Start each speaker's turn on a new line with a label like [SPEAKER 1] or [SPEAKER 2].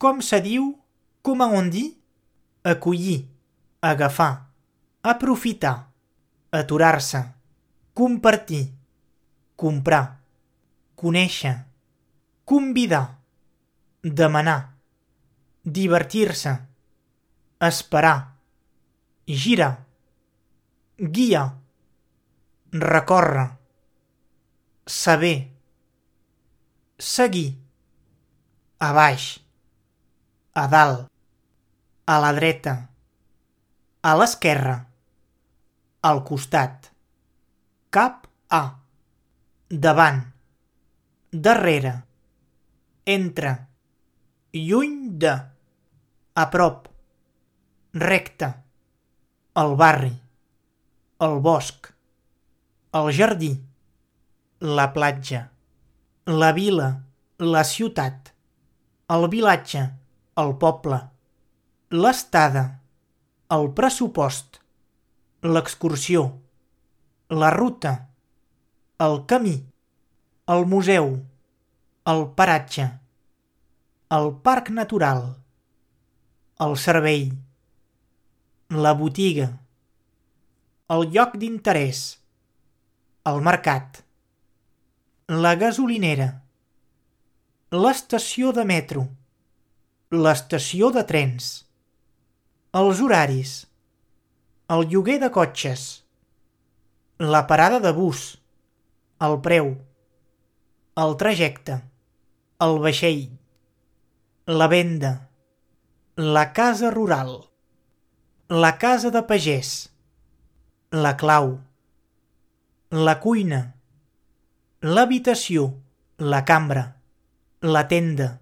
[SPEAKER 1] Com se diu, comment on dit? Acollir, agafar, aprofitar, aturar-se, compartir, comprar, conèixer, convidar, demanar, divertir-se, esperar, girar, guiar, recórrer, saber, seguir, a baix, a dalt, a la dreta, a l'esquerra, al costat, cap a, davant, darrere, entre, lluny de, a prop, recte, al barri, al bosc, al jardí, la platja, la vila, la ciutat, el vilatge, el poble, l'estada, el pressupost, l'excursió, la ruta, el camí, el museu, el paratge, el parc natural, el servei, la botiga, el lloc d'interès, el mercat, la gasolinera, l'estació de metro, l'estació de trens, els horaris, el lloguer de cotxes, la parada de bus, el preu, el trajecte, el vaixell, la venda, la casa rural, la casa de pagès, la clau, la cuina, l'habitació, la cambra, la tenda,